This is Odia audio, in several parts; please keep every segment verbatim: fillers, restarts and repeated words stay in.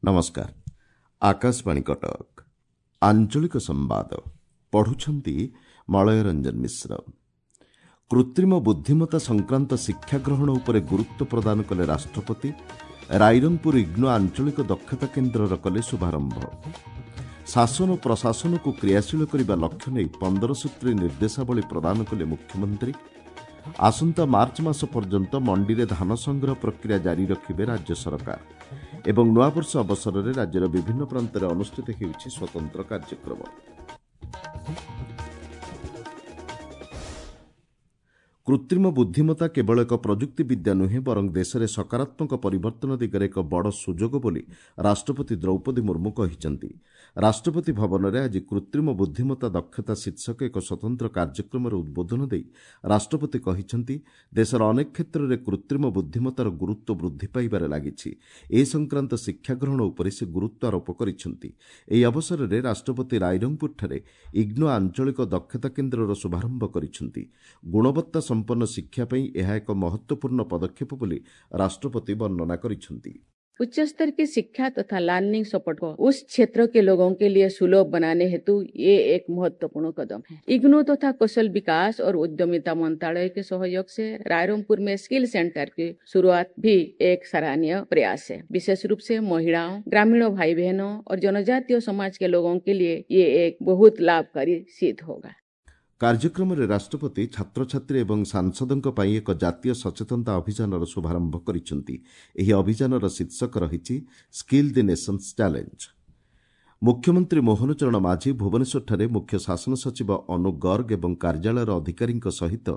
ନମସ୍କାର ଆକାଶବାଣୀ କଟକ ଆଞ୍ଚଳିକ ସମ୍ବାଦ ପଢୁଛନ୍ତି ମଳୟ ରଞ୍ଜନ ମିଶ୍ର କୃତ୍ରିମ ବୁଦ୍ଧିମତ୍ତା ସଂକ୍ରାନ୍ତ ଶିକ୍ଷା ଗ୍ରହଣ ଉପରେ ଗୁରୁତ୍ୱ ପ୍ରଦାନ କଲେ ରାଷ୍ଟ୍ରପତି ରାଇରଙ୍ଗପୁର ଇଗ୍ନୋ ଆଞ୍ଚଳିକ ଦକ୍ଷତା କେନ୍ଦ୍ରର କଲେ ଶୁଭାରମ୍ଭ ଶାସନ ଓ ପ୍ରଶାସନକୁ କ୍ରିୟାଶୀଳ କରିବା ଲକ୍ଷ୍ୟ ନେଇ ପନ୍ଦର ସୂତ୍ରୀ ନିର୍ଦ୍ଦେଶାବଳୀ ପ୍ରଦାନ କଲେ ମୁଖ୍ୟମନ୍ତ୍ରୀ ଆସନ୍ତା ମାର୍ଚ୍ଚ ମାସ ପର୍ଯ୍ୟନ୍ତ ମଣ୍ଡିରେ ଧାନ ସଂଗ୍ରହ ପ୍ରକ୍ରିୟା ଜାରି ରଖିବେ ରାଜ୍ୟ ସରକାର ଏବଂ ନୂଆବର୍ଷ ଅବସରରେ ରାଜ୍ୟର ବିଭିନ୍ନ ପ୍ରାନ୍ତରେ ଅନୁଷ୍ଠିତ ହେଉଛି ସ୍ୱତନ୍ତ୍ର କାର୍ଯ୍ୟକ୍ରମ କୃତ୍ରିମ ବୁଦ୍ଧିମତ୍ତା କେବଳ ଏକ ପ୍ରଯୁକ୍ତି ବିଦ୍ୟା ନୁହେଁ ବରଂ ଦେଶରେ ସକାରାତ୍ମକ ପରିବର୍ତ୍ତନ ଦିଗରେ ଏକ ବଡ଼ ସୁଯୋଗ ବୋଲି ରାଷ୍ଟ୍ରପତି ଦ୍ରୌପଦୀ ମୁର୍ମୁ କହିଛନ୍ତି ରାଷ୍ଟ୍ରପତି ଭବନରେ ଆଜି କୃତ୍ରିମ ବୁଦ୍ଧିମତ୍ତା ଦକ୍ଷତା ଶୀର୍ଷକ ଏକ ସ୍ୱତନ୍ତ୍ର କାର୍ଯ୍ୟକ୍ରମରେ ଉଦ୍ବୋଧନ ଦେଇ ରାଷ୍ଟ୍ରପତି କହିଛନ୍ତି ଦେଶର ଅନେକ କ୍ଷେତ୍ରରେ କୃତ୍ରିମ ବୁଦ୍ଧିମତ୍ତାର ଗୁରୁତ୍ୱ ବୃଦ୍ଧି ପାଇବାରେ ଲାଗିଛି ଏ ସଂକ୍ରାନ୍ତ ଶିକ୍ଷା ଗ୍ରହଣ ଉପରେ ସେ ଗୁରୁତ୍ୱ ଆରୋପ କରିଛନ୍ତି ଏହି ଅବସରରେ ରାଷ୍ଟ୍ରପତି ରାଇରଙ୍ଗପୁରଠାରେ ଇଗ୍ନୋ ଆଞ୍ଚଳିକ ଦକ୍ଷତା କେନ୍ଦ୍ରର ଶୁଭାରମ୍ଭ କରିଛନ୍ତି ଗୁଣବତ୍ତା ସମ୍ପନ୍ନ ଶିକ୍ଷା ପାଇଁ ଏହା ଏକ ମହତ୍ତ୍ୱପୂର୍ଣ୍ଣ ପଦକ୍ଷେପ ବୋଲି ରାଷ୍ଟ୍ରପତି ବର୍ଣ୍ଣନା କରିଛନ୍ତି उच्च स्तर की शिक्षा तथा लर्निंग सपोर्ट को उस क्षेत्र के लोगों के लिए सुलभ बनाने हेतु ये एक महत्वपूर्ण कदम है इग्नू तथा कौशल विकास और उद्यमिता मंत्रालय के सहयोग से रायरंगपुर में स्किल सेंटर की शुरुआत भी एक सराहनीय प्रयास है विशेष रूप से महिलाओं ग्रामीण भाई बहनों और जनजातीय समाज के लोगों के लिए ये एक बहुत लाभकारी सिद्ध होगा କାର୍ଯ୍ୟକ୍ରମରେ ରାଷ୍ଟ୍ରପତି ଛାତ୍ରଛାତ୍ରୀ ଏବଂ ସାଂସଦଙ୍କ ପାଇଁ ଏକ ଜାତୀୟ ସଚେତନତା ଅଭିଯାନର ଶୁଭାରମ୍ଭ କରିଛନ୍ତି ଏହି ଅଭିଯାନର ଶୀର୍ଷକ ରହିଛି ସ୍କିଲ୍ ଦି ନେସନ୍ସ ଚ୍ୟାଲେଞ୍ଜ ମୁଖ୍ୟମନ୍ତ୍ରୀ ମୋହନ ଚରଣ ମାଝୀ ଭୁବନେଶ୍ୱରଠାରେ ମୁଖ୍ୟ ଶାସନ ସଚିବ ଅନୁ ଗର୍ଗ ଏବଂ କାର୍ଯ୍ୟାଳୟର ଅଧିକାରୀଙ୍କ ସହିତ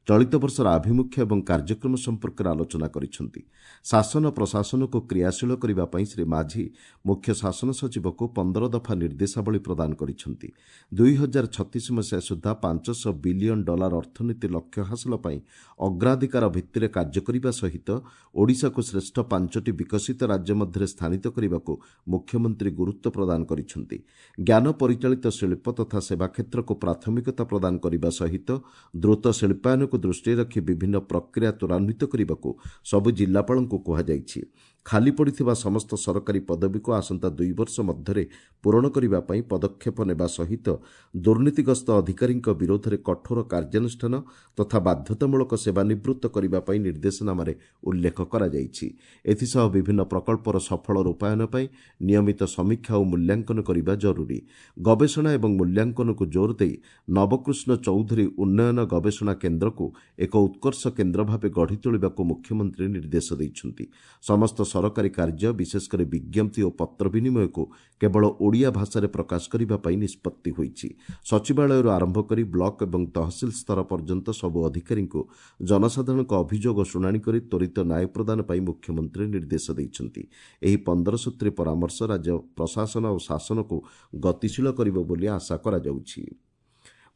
ଚଳିତ ବର୍ଷର ଆଭିମୁଖ୍ୟ ଏବଂ କାର୍ଯ୍ୟକ୍ରମ ସମ୍ପର୍କରେ ଆଲୋଚନା କରିଛନ୍ତି ଶାସନ ପ୍ରଶାସନକୁ କ୍ରିୟାଶୀଳ କରିବା ପାଇଁ ଶ୍ରୀ ମାଝୀ ମୁଖ୍ୟ ଶାସନ ସଚିବକୁ ପନ୍ଦର ଦଫା ନିର୍ଦ୍ଦେଶାବଳୀ ପ୍ରଦାନ କରିଛନ୍ତି ଦୁଇ ହଜାର ଛତିଶ ମସିହା ସୁଦ୍ଧା ପାଞ୍ଚଶହ ବିଲିୟନ ଡଲାର ଅର୍ଥନୀତି ଲକ୍ଷ୍ୟ ହାସଲ ପାଇଁ ଅଗ୍ରାଧିକାର ଭିତ୍ତିରେ କାର୍ଯ୍ୟ କରିବା ସହିତ ଓଡ଼ିଶାକୁ ଶ୍ରେଷ୍ଠ ପାଞ୍ଚଟି ବିକଶିତ ରାଜ୍ୟ ମଧ୍ୟରେ ସ୍ଥାନିତ କରିବାକୁ ମୁଖ୍ୟମନ୍ତ୍ରୀ ଗୁରୁତ୍ୱ ପ୍ରଦାନ କରିଛନ୍ତି ଜ୍ଞାନ ପରିଚାଳିତ ଶିଳ୍ପ ତଥା ସେବା କ୍ଷେତ୍ରକୁ ପ୍ରାଥମିକତା ପ୍ରଦାନ କରିବା ସହିତ ଦ୍ରୁତ ଶିଳ୍ପାୟନକୁ ଦୃଷ୍ଟିରେ ରଖି ବିଭିନ୍ନ ପ୍ରକ୍ରିୟା ତ୍ୱରାନ୍ୱିତ କରିବାକୁ ସବୁ ଜିଲ୍ଲାପାଳଙ୍କୁ କୁହାଯାଇଛି ଖାଲି ପଡ଼ିଥିବା ସମସ୍ତ ସରକାରୀ ପଦବୀକୁ ଆସନ୍ତା ଦୁଇ ବର୍ଷ ମଧ୍ୟରେ ପୂରଣ କରିବା ପାଇଁ ପଦକ୍ଷେପ ନେବା ସହିତ ଦୁର୍ନୀତିଗ୍ରସ୍ତ ଅଧିକାରୀଙ୍କ ବିରୋଧରେ କଠୋର କାର୍ଯ୍ୟାନୁଷ୍ଠାନ ତଥା ବାଧ୍ୟତାମୂଳକ ସେବାନିବୃତ୍ତ କରିବା ପାଇଁ ନିର୍ଦ୍ଦେଶନାମାରେ ଉଲ୍ଲେଖ କରାଯାଇଛି ଏଥିସହ ବିଭିନ୍ନ ପ୍ରକଳ୍ପର ସଫଳ ରୂପାୟନ ପାଇଁ ନିୟମିତ ସମୀକ୍ଷା ଓ ମୂଲ୍ୟାଙ୍କନ କରିବା ଜରୁରୀ ଗବେଷଣା ଏବଂ ମୂଲ୍ୟାଙ୍କନକୁ ଜୋର ଦେଇ ନବକୃଷ୍ଣ ଚୌଧୁରୀ ଉନ୍ନୟନ ଗବେଷଣା କେନ୍ଦ୍ରକୁ ଏକ ଉତ୍କର୍ଷ କେନ୍ଦ୍ର ଭାବେ ଗଢ଼ି ତୋଳିବାକୁ ମୁଖ୍ୟମନ୍ତ୍ରୀ ନିର୍ଦ୍ଦେଶ ଦେଇଛନ୍ତି ସମସ୍ତ ସରକାରୀ କାର୍ଯ୍ୟ ବିଶେଷକରି ବିଜ୍ଞପ୍ତି ଓ ପତ୍ର ବିନିମୟକୁ କେବଳ ଓଡ଼ିଆ ଭାଷାରେ ପ୍ରକାଶ କରିବା ପାଇଁ ନିଷ୍ପତ୍ତି ହୋଇଛି ସଚିବାଳୟରୁ ଆରମ୍ଭ କରି ବ୍ଲକ ଏବଂ ତହସିଲ ସ୍ତର ପର୍ଯ୍ୟନ୍ତ ସବୁ ଅଧିକାରୀଙ୍କୁ ଜନସାଧାରଣଙ୍କ ଅଭିଯୋଗ ଶୁଣାଣି କରି ତ୍ୱରିତ ନ୍ୟାୟ ପ୍ରଦାନ ପାଇଁ ମୁଖ୍ୟମନ୍ତ୍ରୀ ନିର୍ଦ୍ଦେଶ ଦେଇଛନ୍ତି ଏହି ପନ୍ଦର ସୂତ୍ରୀ ପରାମର୍ଶ ରାଜ୍ୟ ପ୍ରଶାସନ ଓ ଶାସନକୁ ଗତିଶୀଳ କରିବ ବୋଲି ଆଶା କରାଯାଉଛି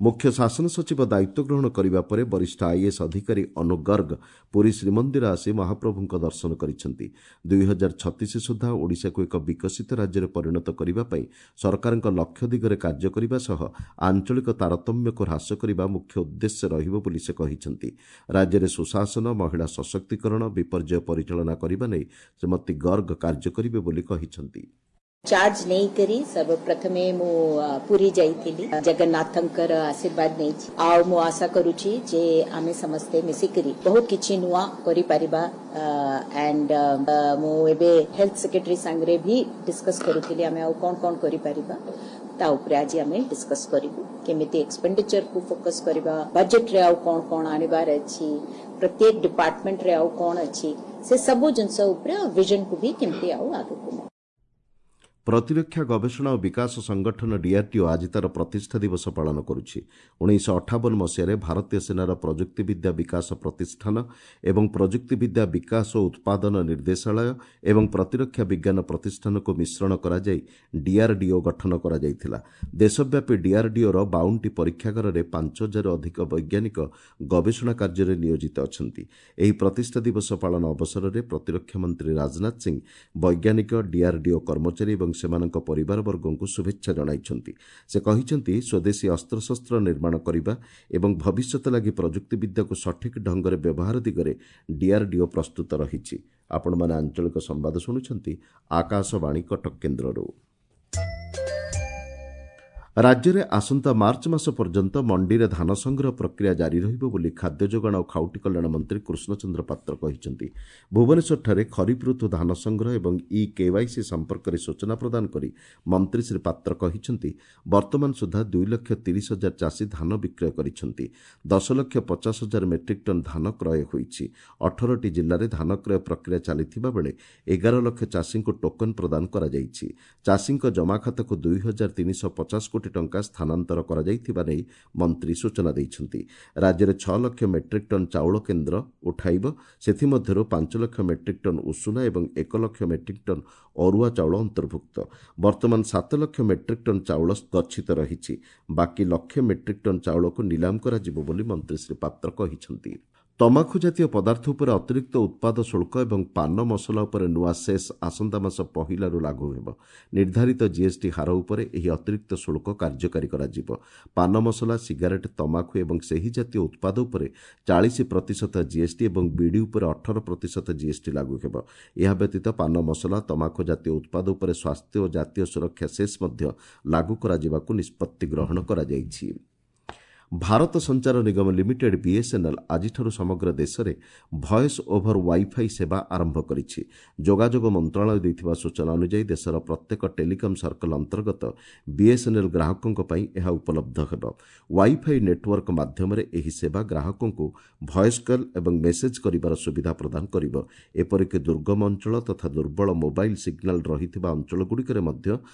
ମୁଖ୍ୟ ଶାସନ ସଚିବ ଦାୟିତ୍ୱ ଗ୍ରହଣ କରିବା ପରେ ବରିଷ୍ଠ ଆଇଏଏସ୍ ଅଧିକାରୀ ଅନୁ ଗର୍ଗ ପୁରୀ ଶ୍ରୀମନ୍ଦିର ଆସି ମହାପ୍ରଭୁଙ୍କ ଦର୍ଶନ କରିଛନ୍ତି ଦୁଇ ହଜାର ଛତିଶ ସୁଦ୍ଧା ଓଡ଼ିଶାକୁ ଏକ ବିକଶିତ ରାଜ୍ୟରେ ପରିଣତ କରିବା ପାଇଁ ସରକାରଙ୍କ ଲକ୍ଷ୍ୟ ଦିଗରେ କାର୍ଯ୍ୟ କରିବା ସହ ଆଞ୍ଚଳିକ ତାରତମ୍ୟକୁ ହ୍ରାସ କରିବା ମୁଖ୍ୟ ଉଦ୍ଦେଶ୍ୟ ରହିବ ବୋଲି ସେ କହିଛନ୍ତି ରାଜ୍ୟରେ ସୁଶାସନ ମହିଳା ସଶକ୍ତିକରଣ ବିପର୍ଯ୍ୟୟ ପରିଚାଳନା କରିବା ନେଇ ଶ୍ରୀମତୀ ଗର୍ଗ କାର୍ଯ୍ୟ କରିବେ ବୋଲି କହିଛନ୍ତି ଚାର୍ଜ ନେଇକରି ସର୍ବପ୍ରଥମେ ମୁଁ ପୁରୀ ଯାଇଥିଲି ଜଗନ୍ନାଥଙ୍କର ଆଶୀର୍ବାଦ ନେଇଛି ଆଉ ମୁଁ ଆଶା କରୁଛି ଯେ ଆମେ ସମସ୍ତେ ମିଶିକରି ବହୁତ କିଛି ନୂଆ କରିପାରିବା ଆଣ୍ଡ ମୁଁ ଏବେ ହେଲ୍ଥ ସେକ୍ରେଟାରୀ ସାଙ୍ଗରେ ବି ଡିସ୍କସ୍ କରୁଥିଲି ଆମେ ଆଉ କ'ଣ କ'ଣ କରିପାରିବା ତା ଉପରେ ଆଜି ଆମେ ଡିସ୍କସ୍ କରିବୁ କେମିତି ଏକ୍ସପେଣ୍ଡିଚରକୁ ଫୋକସ୍ କରିବା ବଜେଟରେ ଆଉ କ'ଣ କ'ଣ ଆଣିବାର ଅଛି ପ୍ରତ୍ୟେକ ଡିପାର୍ଟମେଣ୍ଟରେ ଆଉ କ'ଣ ଅଛି ସେ ସବୁ ଜିନିଷ ଉପରେ ଆଉ ଭିଜନକୁ ବି କେମିତି ଆଉ ଆଗକୁ ନେବା ପ୍ରତିରକ୍ଷା ଗବେଷଣା ଓ ବିକାଶ ସଂଗଠନ ଡିଆର୍ଡିଓ ଆଜି ତା'ର ପ୍ରତିଷ୍ଠା ଦିବସ ପାଳନ କରୁଛି ଉଣେଇଶହ ଅଠାବନ ମସିହାରେ ଭାରତୀୟ ସେନାର ପ୍ରଯୁକ୍ତିବିଦ୍ୟା ବିକାଶ ପ୍ରତିଷ୍ଠାନ ଏବଂ ପ୍ରଯୁକ୍ତିବିଦ୍ୟା ବିକାଶ ଓ ଉତ୍ପାଦନ ନିର୍ଦ୍ଦେଶାଳୟ ଏବଂ ପ୍ରତିରକ୍ଷା ବିଜ୍ଞାନ ପ୍ରତିଷ୍ଠାନକୁ ମିଶ୍ରଣ କରାଯାଇ ଡିଆର୍ଡିଓ ଗଠନ କରାଯାଇଥିଲା ଦେଶବ୍ୟାପୀ ଡିଆର୍ଡିଓର ବାଉନଟି ପରୀକ୍ଷାଗାରରେ ପାଞ୍ଚ ହଜାରରୁ ଅଧିକ ବୈଜ୍ଞାନିକ ଗବେଷଣା କାର୍ଯ୍ୟରେ ନିୟୋଜିତ ଅଛନ୍ତି ଏହି ପ୍ରତିଷ୍ଠା ଦିବସ ପାଳନ ଅବସରରେ ପ୍ରତିରକ୍ଷା ମନ୍ତ୍ରୀ ରାଜନାଥ ସିଂ ବୈଜ୍ଞାନିକ ଡିଆର୍ଡିଓ କର୍ମଚାରୀ ଏବଂ ସେମାନଙ୍କ ପରିବାରବର୍ଗଙ୍କୁ ଶୁଭେଚ୍ଛା ଜଣାଇଛନ୍ତି ସେ କହିଛନ୍ତି ସ୍ୱଦେଶୀ ଅସ୍ତ୍ରଶସ୍ତ୍ର ନିର୍ମାଣ କରିବା ଏବଂ ଭବିଷ୍ୟତ ଲାଗି ପ୍ରଯୁକ୍ତିବିଦ୍ୟାକୁ ସଠିକ୍ ଢଙ୍ଗରେ ବ୍ୟବହାର ଦିଗରେ ଡିଆର୍ଡିଓ ପ୍ରସ୍ତୁତ ରହିଛି ଆପଣମାନେ ଆଞ୍ଚଳିକ ସମ୍ବାଦ ଶୁଣୁଛନ୍ତି ଆକାଶବାଣୀ କଟକ କେନ୍ଦ୍ରରୁ। ରାଜ୍ୟରେ ଆସନ୍ତା ମାର୍ଚ୍ଚ ମାସ ପର୍ଯ୍ୟନ୍ତ ମଣ୍ଡିରେ ଧାନ ସଂଗ୍ରହ ପ୍ରକ୍ରିୟା ଜାରି ରହିବ ବୋଲି ଖାଦ୍ୟ ଯୋଗାଣ ଓ ଖାଉଟି କଲ୍ୟାଣ ମନ୍ତ୍ରୀ କୃଷ୍ଣଚନ୍ଦ୍ର ପାତ୍ର କହିଛନ୍ତି। ଭୁବନେଶ୍ୱରଠାରେ ଖରିଫ ଋତୁ ଧାନ ସଂଗ୍ରହ ଏବଂ ଇ କେୱାଇସି ସମ୍ପର୍କରେ ସୂଚନା ପ୍ରଦାନ କରି ମନ୍ତ୍ରୀ ଶ୍ରୀ ପାତ୍ର କହିଛନ୍ତି, ବର୍ତ୍ତମାନ ସୁଦ୍ଧା ଦୁଇ ଲକ୍ଷ ତିରିଶ ହଜାର ଚାଷୀ ଧାନ ବିକ୍ରୟ କରିଛନ୍ତି। ଦଶ ଲକ୍ଷ ପଚାଶ ହଜାର ମେଟ୍ରିକ୍ ଟନ୍ ଧାନ କ୍ରୟ ହୋଇଛି। ଅଠରଟି ଜିଲ୍ଲାରେ ଧାନ କ୍ରୟ ପ୍ରକ୍ରିୟା ଚାଲିଥିବା ବେଳେ ଏଗାର ଲକ୍ଷ ଚାଷୀଙ୍କୁ ଟୋକନ୍ ପ୍ରଦାନ କରାଯାଇଛି। ଚାଷୀଙ୍କ ଜମାଖାତାକୁ ଦୁଇ ହଜାର ତିନିଶହ ପଚାଶ କୋଟି ଟଙ୍କା ସ୍ଥାନାନ୍ତର କରାଯାଇଥିବା ନେଇ ମନ୍ତ୍ରୀ ସୂଚନା ଦେଇଛନ୍ତି। ରାଜ୍ୟରେ ଛଅ ଲକ୍ଷ ମେଟ୍ରିକ୍ ଟନ୍ ଚାଉଳ କେନ୍ଦ୍ର ଉଠାଇବ। ସେଥିମଧ୍ୟରୁ ପାଞ୍ଚ ଲକ୍ଷ ମେଟ୍ରିକ୍ ଟନ୍ ଉଷୁନା ଏବଂ ଏକ ଲକ୍ଷ ମେଟ୍ରିକ୍ ଟନ୍ ଅରୁଆ ଚାଉଳ ଅନ୍ତର୍ଭୁକ୍ତ। ବର୍ତ୍ତମାନ ସାତ ଲକ୍ଷ ମେଟ୍ରିକ୍ ଟନ୍ ଚାଉଳ ଗଚ୍ଛିତ ରହିଛି। ବାକି ଲକ୍ଷେ ମେଟ୍ରିକ୍ ଟନ୍ ଚାଉଳକୁ ନିଲାମ କରାଯିବ ବୋଲି ମନ୍ତ୍ରୀ ଶ୍ରୀ ପାତ୍ର କହିଛନ୍ତି। ତମାଖୁ ଜାତୀୟ ପଦାର୍ଥ ଉପରେ ଅତିରିକ୍ତ ଉତ୍ପାଦ ଶୁଳ୍କ ଏବଂ ପାନ ମସଲା ଉପରେ ନୂଆ ସେସ୍ ଆସନ୍ତା ମାସ ପହିଲାରୁ ଲାଗୁ ହେବ। ନିର୍ଦ୍ଧାରିତ ଜିଏସ୍ଟି ହାର ଉପରେ ଏହି ଅତିରିକ୍ତ ଶୁଳ୍କ କାର୍ଯ୍ୟକାରୀ କରାଯିବ। ପାନ ମସଲା, ସିଗାରେଟ୍, ତମାଖୁ ଏବଂ ସେହି ଜାତୀୟ ଉତ୍ପାଦ ଉପରେ ଚାଳିଶ ପ୍ରତିଶତ ଜିଏସ୍ଟି ଏବଂ ବିଡ଼ି ଉପରେ ଅଠର ପ୍ରତିଶତ ଜିଏସ୍ଟି ଲାଗୁ ହେବ। ଏହା ବ୍ୟତୀତ ପାନ ମସଲା, ତମାଖୁ ଜାତୀୟ ଉତ୍ପାଦ ଉପରେ ସ୍ୱାସ୍ଥ୍ୟ ଓ ଜାତୀୟ ସୁରକ୍ଷା ସେସ୍ ମଧ୍ୟ ଲାଗୁ କରାଯିବାକୁ ନିଷ୍ପତ୍ତି ଗ୍ରହଣ କରାଯାଇଛି। ଭାରତ ସଞ୍ଚାର ନିଗମ ଲିମିଟେଡ୍ ବିଏସ୍ଏନ୍ଏଲ୍ ଆଜିଠାରୁ ସମଗ୍ର ଦେଶରେ ଭଏସ୍ ଓଭର ୱାଇଫାଇ ସେବା ଆରମ୍ଭ କରିଛି। ଯୋଗାଯୋଗ ମନ୍ତ୍ରଣାଳୟ ଦେଇଥିବା ସୂଚନା ଅନୁଯାୟୀ ଦେଶର ପ୍ରତ୍ୟେକ ଟେଲିକମ୍ ସର୍କଲ ଅନ୍ତର୍ଗତ ବିଏସ୍ଏନ୍ଏଲ୍ ଗ୍ରାହକଙ୍କ ପାଇଁ ଏହା ଉପଲବ୍ଧ ହେବ। ୱାଇଫାଇ ନେଟୱାର୍କ ମାଧ୍ୟମରେ ଏହି ସେବା ଗ୍ରାହକଙ୍କୁ ଭଏସ୍ କଲ୍ ଏବଂ ମେସେଜ୍ କରିବାର ସୁବିଧା ପ୍ରଦାନ କରିବ। ଏପରିକି ଦୁର୍ଗମ ଅଞ୍ଚଳ ତଥା ଦୁର୍ବଳ ମୋବାଇଲ୍ ସିଗ୍ନାଲ ରହିଥିବା ଅଞ୍ଚଳଗୁଡ଼ିକରେ ମଧ୍ୟ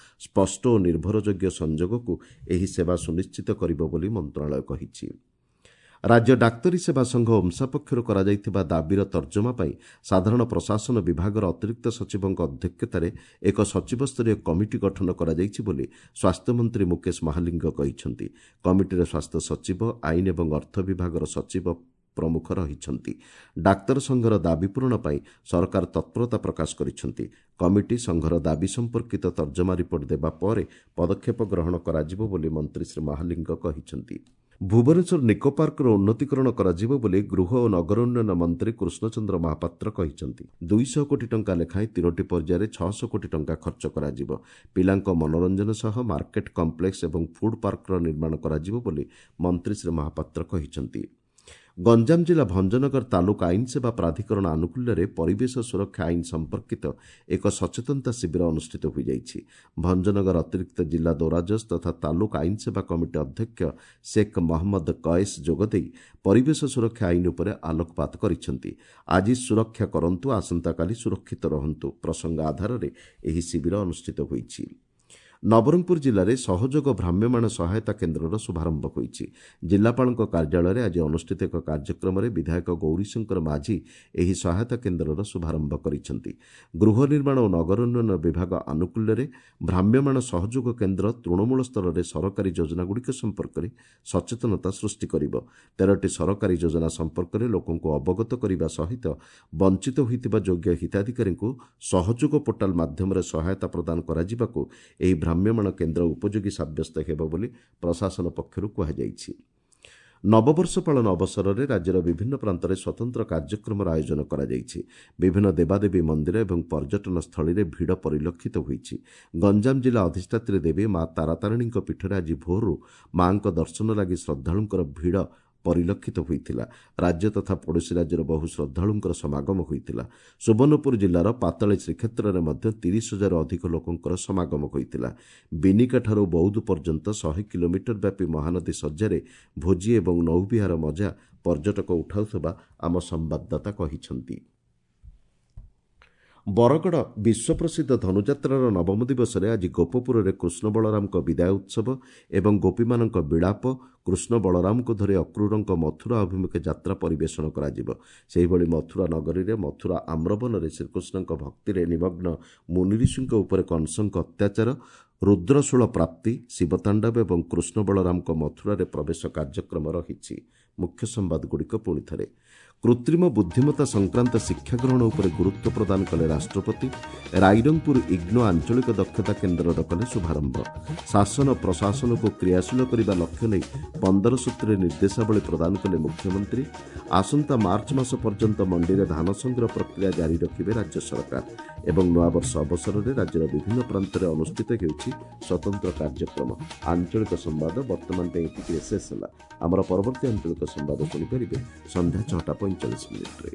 ସ୍ପଷ୍ଟ ଓ ନିର୍ଭରଯୋଗ୍ୟ ସଂଯୋଗକୁ ଏହି ସେବା ସୁନିଶ୍ଚିତ କରିବ ବୋଲି ମନ୍ତ୍ରଣାଳୟ କହିଛି। ରାଜ୍ୟ ଡାକ୍ତରୀ ସେବା ସଂଘ ଓମ୍ସା ପକ୍ଷରୁ କରାଯାଇଥିବା ଦାବିର ତର୍ଜମା ପାଇଁ ସାଧାରଣ ପ୍ରଶାସନ ବିଭାଗର ଅତିରିକ୍ତ ସଚିବଙ୍କ ଅଧ୍ୟକ୍ଷତାରେ ଏକ ସଚିବସ୍ତରୀୟ କମିଟି ଗଠନ କରାଯାଇଛି ବୋଲି ସ୍ୱାସ୍ଥ୍ୟମନ୍ତ୍ରୀ ମୁକେଶ ମହାଲିଙ୍ଗ କହିଛନ୍ତି। କମିଟିରେ ସ୍ୱାସ୍ଥ୍ୟ ସଚିବ, ଆଇନ ଏବଂ ଅର୍ଥ ବିଭାଗର ସଚିବ ପ୍ରମୁଖ ରହିଛନ୍ତି। ଡାକ୍ତର ସଂଘର ଦାବି ପୂରଣ ପାଇଁ ସରକାର ତତ୍ପରତା ପ୍ରକାଶ କରିଛନ୍ତି। କମିଟି ସଂଘର ଦାବି ସମ୍ପର୍କିତ ତର୍ଜମା ରିପୋର୍ଟ ଦେବା ପରେ ପଦକ୍ଷେପ ଗ୍ରହଣ କରାଯିବ ବୋଲି ମନ୍ତ୍ରୀ ଶ୍ରୀ ମହାଲିଙ୍ଗ କହିଛନ୍ତି। ଭୁବନେଶ୍ୱର ନିକୋ ପାର୍କର ଉନ୍ନତିକରଣ କରାଯିବ ବୋଲି ଗୃହ ଓ ନଗର ଉନ୍ନୟନ ମନ୍ତ୍ରୀ କୃଷ୍ଣଚନ୍ଦ୍ର ମହାପାତ୍ର କହିଛନ୍ତି। ଦୁଇଶହ କୋଟି ଟଙ୍କା ଲେଖାଏଁ ତିନୋଟି ପର୍ଯ୍ୟାୟରେ ଛଅଶହ କୋଟି ଟଙ୍କା ଖର୍ଚ୍ଚ କରାଯିବ। ପିଲାଙ୍କ ମନୋରଞ୍ଜନ ସହ ମାର୍କେଟ କମ୍ପ୍ଲେକ୍ସ ଏବଂ ଫୁଡ୍ ପାର୍କର ନିର୍ମାଣ କରାଯିବ ବୋଲି ମନ୍ତ୍ରୀ ଶ୍ରୀ ମହାପାତ୍ର କହିଛନ୍ତି। ଗଞ୍ଜାମ ଜିଲ୍ଲା ଭଞ୍ଜନଗର ତାଲୁକ ଆଇନ ସେବା ପ୍ରାଧିକରଣ ଆନୁକୂଲ୍ୟରେ ପରିବେଶ ସୁରକ୍ଷା ଆଇନ ସମ୍ପର୍କିତ ଏକ ସଚେତନତା ଶିବିର ଅନୁଷ୍ଠିତ ହୋଇଯାଇଛି। ଭଞ୍ଜନଗର ଅତିରିକ୍ତ ଜିଲ୍ଲା ଦୌରାଜଜ ତଥା ତାଲୁକ ଆଇନ ସେବା କମିଟି ଅଧ୍ୟକ୍ଷ ଶେଖ୍ ମହମ୍ମଦ କଏସ୍ ଯୋଗଦେଇ ପରିବେଶ ସୁରକ୍ଷା ଆଇନ ଉପରେ ଆଲୋକପାତ କରିଛନ୍ତି। ଆଜି ସୁରକ୍ଷା କରନ୍ତୁ, ଆସନ୍ତାକାଲି ସୁରକ୍ଷିତ ରହନ୍ତୁ ପ୍ରସଙ୍ଗ ଆଧାରରେ ଏହି ଶିବିର ଅନୁଷ୍ଠିତ ହୋଇଛି। ନବରଙ୍ଗପୁର ଜିଲ୍ଲାରେ ସହଯୋଗ ଭ୍ରାମ୍ୟମାଣ ସହାୟତା କେନ୍ଦ୍ରର ଶୁଭାରମ୍ଭ ହୋଇଛି। ଜିଲ୍ଲାପାଳଙ୍କ କାର୍ଯ୍ୟାଳୟରେ ଆଜି ଅନୁଷ୍ଠିତ ଏକ କାର୍ଯ୍ୟକ୍ରମରେ ବିଧାୟକ ଗୌରୀଶଙ୍କର ମାଝୀ ଏହି ସହାୟତା କେନ୍ଦ୍ରର ଶୁଭାରମ୍ଭ କରିଛନ୍ତି। ଗୃହ ନିର୍ମାଣ ଓ ନଗର ଉନ୍ନୟନ ବିଭାଗ ଆନୁକୂଲ୍ୟରେ ଭ୍ରାମ୍ୟମାଣ ସହଯୋଗ କେନ୍ଦ୍ର ତୃଣମୂଳ ସ୍ତରରେ ସରକାରୀ ଯୋଜନାଗୁଡ଼ିକ ସମ୍ପର୍କରେ ସଚେତନତା ସୃଷ୍ଟି କରିବ। ତେରଟି ସରକାରୀ ଯୋଜନା ସମ୍ପର୍କରେ ଲୋକଙ୍କୁ ଅବଗତ କରିବା ସହିତ ବଞ୍ଚିତ ହୋଇଥିବା ଯୋଗ୍ୟ ହିତାଧିକାରୀଙ୍କୁ ସହଯୋଗ ପୋର୍ଟାଲ ମାଧ୍ୟମରେ ସହାୟତା ପ୍ରଦାନ କରାଯିବାକୁ ଏହି ଭ୍ରାମ୍ୟମାଣ କେନ୍ଦ୍ର ଉପଯୋଗୀ ସାବ୍ୟସ୍ତ ହେବ ବୋଲି ପ୍ରଶାସନ ପକ୍ଷରୁ କୁହାଯାଇଛି। ନବବର୍ଷ ପାଳନ ଅବସରରେ ରାଜ୍ୟର ବିଭିନ୍ନ ପ୍ରାନ୍ତରେ ସ୍ୱତନ୍ତ୍ର କାର୍ଯ୍ୟକ୍ରମର ଆୟୋଜନ କରାଯାଇଛି। ବିଭିନ୍ନ ଦେବାଦେବୀ ମନ୍ଦିର ଏବଂ ପର୍ଯ୍ୟଟନ ସ୍ଥଳୀରେ ଭିଡ଼ ପରିଲକ୍ଷିତ ହୋଇଛି। ଗଞ୍ଜାମ ଜିଲ୍ଲା ଅଧିଷ୍ଠାତ୍ରୀ ଦେବୀ ମା ତାରାତାରିଣୀଙ୍କ ପୀଠରେ ଆଜି ଭୋରରୁ ମାଙ୍କ ଦର୍ଶନ ଲାଗି ଶ୍ରଦ୍ଧାଳୁଙ୍କର ଭିଡ଼ ପରିଲକ୍ଷିତ ହୋଇଥିଲା। ରାଜ୍ୟ ତଥା ପଡ଼ୋଶୀ ରାଜ୍ୟର ବହୁ ଶ୍ରଦ୍ଧାଳୁଙ୍କର ସମାଗମ ହୋଇଥିଲା। ସୁବର୍ଣ୍ଣପୁର ଜିଲ୍ଲାର ପାତାଳୀ ଶ୍ରୀକ୍ଷେତ୍ରରେ ମଧ୍ୟ ତିରିଶ ହଜାରରୁ ଅଧିକ ଲୋକଙ୍କର ସମାଗମ ହୋଇଥିଲା। ବିନିକାଠାରୁ ବୌଦ୍ଧ ପର୍ଯ୍ୟନ୍ତ ଶହେ କିଲୋମିଟର ବ୍ୟାପୀ ମହାନଦୀ ଶଯ୍ୟାରେ ଭୋଜି ଏବଂ ନୌବିହାର ମଜା ପର୍ଯ୍ୟଟକ ଉଠାଉଥିବା ଆମ ସମ୍ବାଦଦାତା କହିଛନ୍ତି। ବରଗଡ଼ ବିଶ୍ୱପ୍ରସିଦ୍ଧ ଧନୁଯାତ୍ରାର ନବମ ଦିବସରେ ଆଜି ଗୋପପୁରରେ କୃଷ୍ଣ ବଳରାମଙ୍କ ବିଦାୟ ଉତ୍ସବ ଏବଂ ଗୋପୀମାନଙ୍କ ବିଳାପ, କୃଷ୍ଣ ବଳରାମଙ୍କୁ ଧରି ଅକ୍ରୂରଙ୍କ ମଥୁରା ଅଭିମୁଖେ ଯାତ୍ରା ପରିବେଷଣ କରାଯିବ। ସେହିଭଳି ମଥୁରା ନଗରୀରେ ମଥୁରା ଆମ୍ରବନରେ ଶ୍ରୀକୃଷ୍ଣଙ୍କ ଭକ୍ତିରେ ନିମଗ୍ନ ମୁନିଋଷିଙ୍କ ଉପରେ କଂସଙ୍କ ଅତ୍ୟାଚାର, ରୁଦ୍ରଶୂଳ ପ୍ରାପ୍ତି, ଶିବତାଣ୍ଡବ ଏବଂ କୃଷ୍ଣ ବଳରାମଙ୍କ ମଥୁରାରେ ପ୍ରବେଶ କାର୍ଯ୍ୟକ୍ରମ ରହିଛି। ମୁଖ୍ୟ ସମ୍ବାଦଗୁଡ଼ିକ ପୁଣି ଥରେ। କୃତ୍ରିମ ବୁଦ୍ଧିମତ୍ତା ସଂକ୍ରାନ୍ତ ଶିକ୍ଷା ଗ୍ରହଣ ଉପରେ ଗୁରୁତ୍ୱ ପ୍ରଦାନ କଲେ ରାଷ୍ଟ୍ରପତି। ରାଇରଙ୍ଗପୁର ଇଗ୍ନୋ ଆଞ୍ଚଳିକ ଦକ୍ଷତା କେନ୍ଦ୍ରର କଲେ ଶୁଭାରମ୍ଭ। ଶାସନ ପ୍ରଶାସନକୁ କ୍ରିୟାଶୀଳ କରିବା ଲକ୍ଷ୍ୟ ନେଇ ପନ୍ଦର ସୂତ୍ରୀ ନିର୍ଦ୍ଦେଶାବଳୀ ପ୍ରଦାନ କଲେ ମୁଖ୍ୟମନ୍ତ୍ରୀ। ଆସନ୍ତା ମାର୍ଚ୍ଚ ମାସ ପର୍ଯ୍ୟନ୍ତ ମଣ୍ଡିରେ ଧାନ ସଂଗ୍ରହ ପ୍ରକ୍ରିୟା ଜାରି ରଖିବେ ରାଜ୍ୟ ସରକାର। ଏବଂ ନୂଆବର୍ଷ ଅବସରରେ ରାଜ୍ୟର ବିଭିନ୍ନ ପ୍ରାନ୍ତରେ ଅନୁଷ୍ଠିତ ହେଉଛି ସ୍ୱତନ୍ତ୍ର କାର୍ଯ୍ୟକ୍ରମ। ଆଞ୍ଚଳିକ ସମ୍ବାଦ ବର୍ତ୍ତମାନ ପାଇଁ ଏତିକିରେ ଶେଷ ହେଲା। ଆମର ପରବର୍ତ୍ତୀ ଆଞ୍ଚଳିକ ସମ୍ବାଦ ଶୁଣିପାରିବେ ସନ୍ଧ୍ୟା ଛଅଟା ପଇଁଚାଳିଶ ମିନିଟ୍ରେ।